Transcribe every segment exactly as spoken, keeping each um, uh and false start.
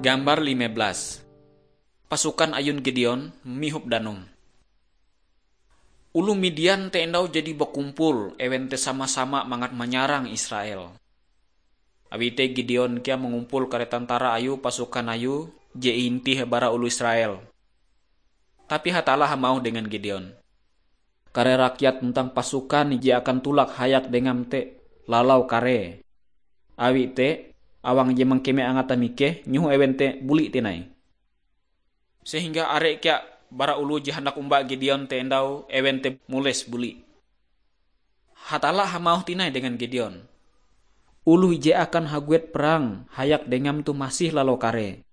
Gambar lima belas. Pasukan ayun Gideon mihop danum. Oloh Midian te endau jadi bakumpul, ewen te sama-sama mangat manyarang Israel. Awi te Gideon kea mangumpul kare tantara ayue, pasukan ayue je iintih bara oloh Israel. Tapi Hatalla hamauh dengan Gideon, "Kare rakyat tuntang pasukan je akan tulak hayak dengam te lalau karee. Awi te, awang je mangkeme angate mikeh, nyoho ewen te buli tinai." Sehingga are kea bara oloh je handak omba Gideon te endau ewen te mules buli. Hatalla hamauh tinai dengan Gideon, "Oloh je akan haguet perang hayak dengam toh masih lalau karee.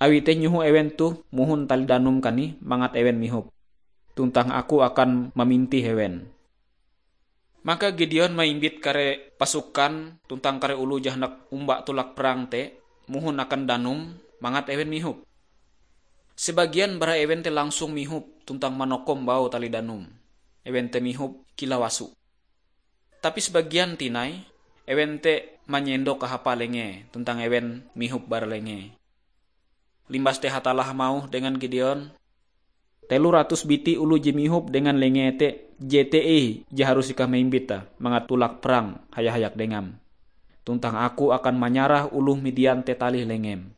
Awi te nyoho ewen toh mohon tali danum kanih mangat ewen mihop. Tuntang aku akan mamintih ewen." Maka Gideon maimbit kare pasukan tuntang kare oloh je handak omba tulak perang te mohon akan danum mangat ewen mihop. Sebagian bara ewen te langsung mihop tuntang manokom baue tali danum. Ewen te mihop kilau aso. Tapi sebagian tinai, ewen te manyendok kahapa lengee tuntang ewen mihop bara lengee. Limbas te Hatalla hamauh dengan Gideon, "Telo ratus biti oloh je mihop dengan lengee te, jete ih je harus ikau maimbite mangat tulak perang haya-hayak dengam. Tuntang aku akan manyarah oloh Midian te talih lengem."